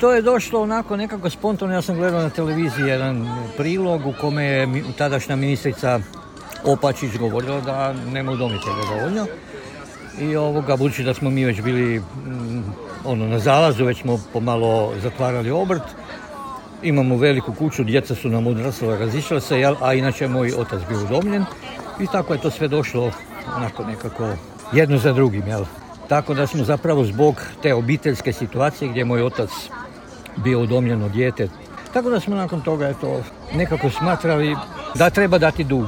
To je došlo onako nekako spontano, ja sam gledao na televiziji jedan prilog u kome je tadašnja ministrica Opačić govorila da nema udomitelja dovoljno. I budući da smo mi već bili na zalazu, već smo pomalo zatvarali obrt, imamo veliku kuću, djeca su nam odrasla, razišla se, a inače moj otac bio udomljen i tako je to sve došlo onako nekako jedno za drugim, jel? Tako da smo zapravo zbog te obiteljske situacije gdje je moj otac bio udomljeno dijete, tako da smo nakon toga nekako smatrali da treba dati dug.